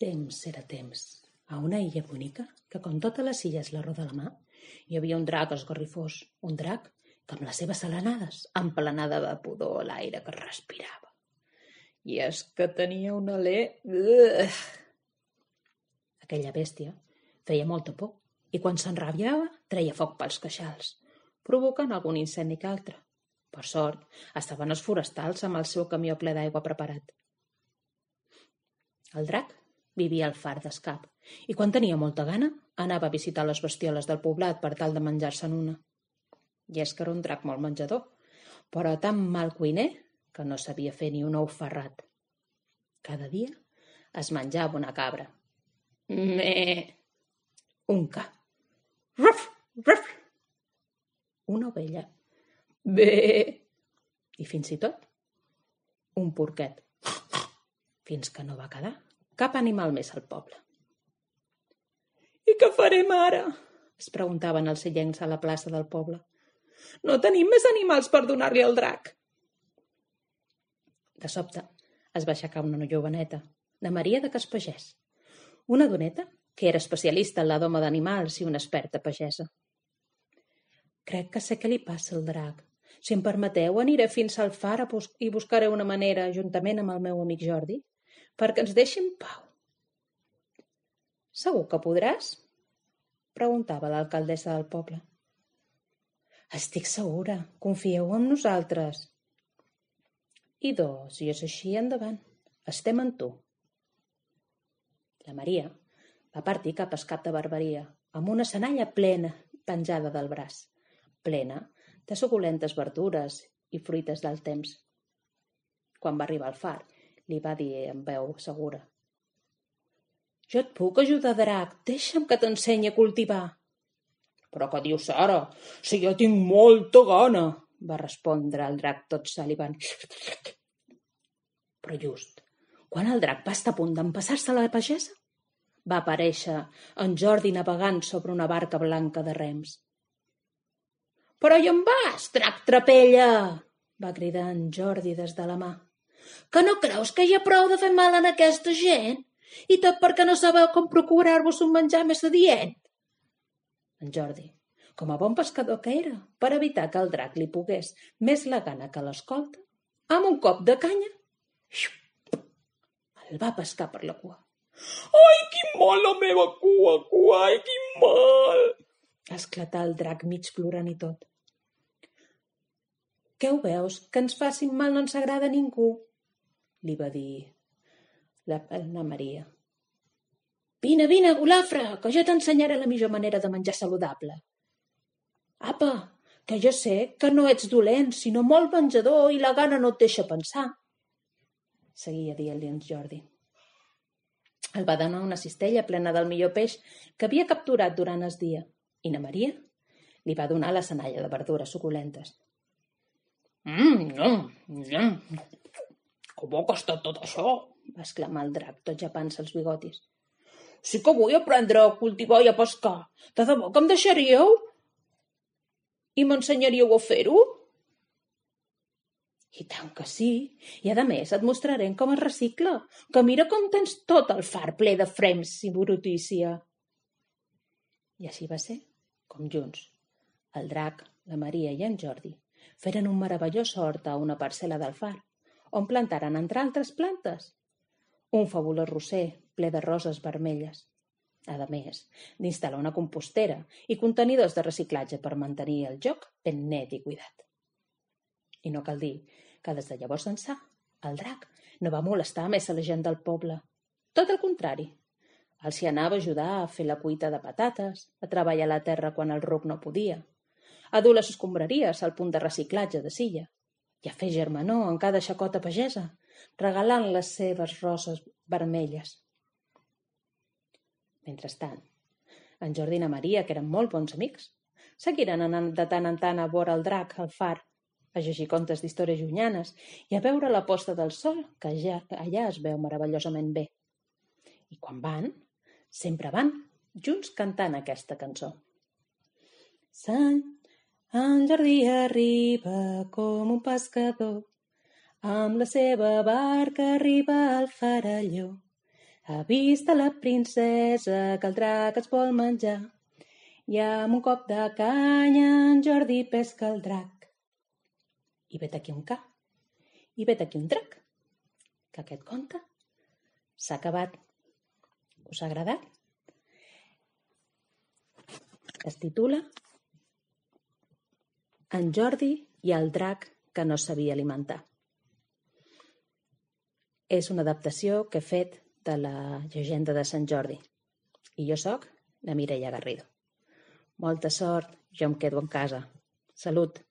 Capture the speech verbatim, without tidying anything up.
Temps era temps. A una illa bonica, que com totes les illes la roda la mà, hi havia un drac esgarrifós, un drac que amb les seves salanades emplenada de pudor l'aire que respirava. I és que tenia un alè... Ugh! Aquella bèstia feia molta por i quan s'enrabiava treia foc pels queixals, provocant algun incendi que altre. Per sort, estaven els forestals amb el seu camió ple d'aigua preparat. El drac vivia al far d'Escap i quan tenia molta gana anava a visitar les bestioles del poblat per tal de menjar-se'n una. I és que era un drac molt menjador, però tan mal cuiner que no sabia fer ni un ou ferrat. Cada dia es menjava una cabra. Meh! Un ca. Ruf! Ruf! Una ovella. Bé! I fins i tot un porquet. Fins que no va quedar cap animal més al poble. I què farem ara? Es preguntaven els illencs a la plaça del poble. No tenim més animals per donar-li al drac. De sobte es va aixecar una joveneta, la Maria de Caspagès, una doneta que era especialista en la doma d'animals i una experta pagesa. Crec que sé què li passa al drac. Si em permeteu, aniré fins al far i buscaré una manera, juntament amb el meu amic Jordi, perquè ens deixi en pau. Segur que podràs? Preguntava l'alcaldessa del poble. Estic segura, confieu en nosaltres. Idò, si és així, endavant. Estem en tu. La Maria va partir cap a Escap de Barberia, amb una senalla plena penjada del braç, plena de suculentes verdures i fruites del temps. Quan va arribar al far, li va dir amb veu segura. Jo et puc ajudar, drac, deixa'm que t'ensenyi a cultivar. Però què dius ara? Si jo tinc molta gana, va respondre el drac tot salivant. Però just, quan el drac va estar a punt d'empassar-se la pagesa, va aparèixer en Jordi navegant sobre una barca blanca de rems. Però hi en vas, drac trapella! Va cridar en Jordi des de la mà. Que no creus que hi ha prou de fer mal en aquesta gent? I tot perquè no sabeu com procurar-vos un menjar més adient? En Jordi, com a bon pescador que era, per evitar que el drac li pogués més la gana que l'escolta, amb un cop de canya, el va pescar per la cua. Ai, quin mal la meva cua, cua, ai, quin mal! Esclatà el drac mig plorant i tot. Què ho veus? Que ens facin mal no ens agrada a ningú, li va dir la, la Maria. Vine, vine, golafre, que jo t'ensenyaré la millor manera de menjar saludable. Apa, que jo sé que no ets dolent, sinó molt menjador i la gana no et deixa pensar. Seguia dient-li en Jordi. El va donar una cistella plena del millor peix que havia capturat durant el dia i na Maria li va donar la senalla de verdures suculentes. Mmm, mm, mm. Com ha costat tot això? Va exclamar el drac, tot japant-se els bigotis. Sí que vull aprendre a cultivar i a pescar. De debò que em deixaríeu? I m'ensenyaríeu a fer-ho? I tant que sí. I a més et mostrarem com es recicla, que mira com tens tot el far ple de frems i brutícia. I així va ser, com junts, el drac, la Maria i en Jordi feren un meravellós hort a una parcel·la del far, on plantaren, entre altres plantes, un fabulós roser ple de roses vermelles, a més d'instal·lar una compostera i contenidors de reciclatge per mantenir el joc ben net i cuidat. I no cal dir que des de llavors ençà el drac no va molestar més a la gent del poble. Tot el contrari, els hi anava a ajudar a fer la cuita de patates, a treballar a la terra quan el ruc no podia, a dur les escombraries al punt de reciclatge de Silla i a fer germanor en cada xacota pagesa, regalant les seves roses vermelles. Mentrestant, en Jordi i na Maria, que eren molt bons amics, seguiren anant de tant en tant a veure el drac al far, a llegir contes d'històries llunyanes i a veure la posta del sol, que ja, allà es veu meravellosament bé. I quan van, sempre van junts cantant aquesta cançó. Sant en Jordi arriba com un pescador, amb la seva barca arriba al faralló. Ha vist a la princesa que el drac es vol menjar i amb un cop de canya en Jordi pesca el drac. I vet aquí un ca, i vet aquí un drac, que aquest conte s'ha acabat. Us ha agradat? Es titula En Jordi i el drac que no sabia alimentar. És una adaptació que he fet de la llegenda de Sant Jordi. I jo sóc la Mireia Garrido. Molta sort, jo em quedo en casa. Salut!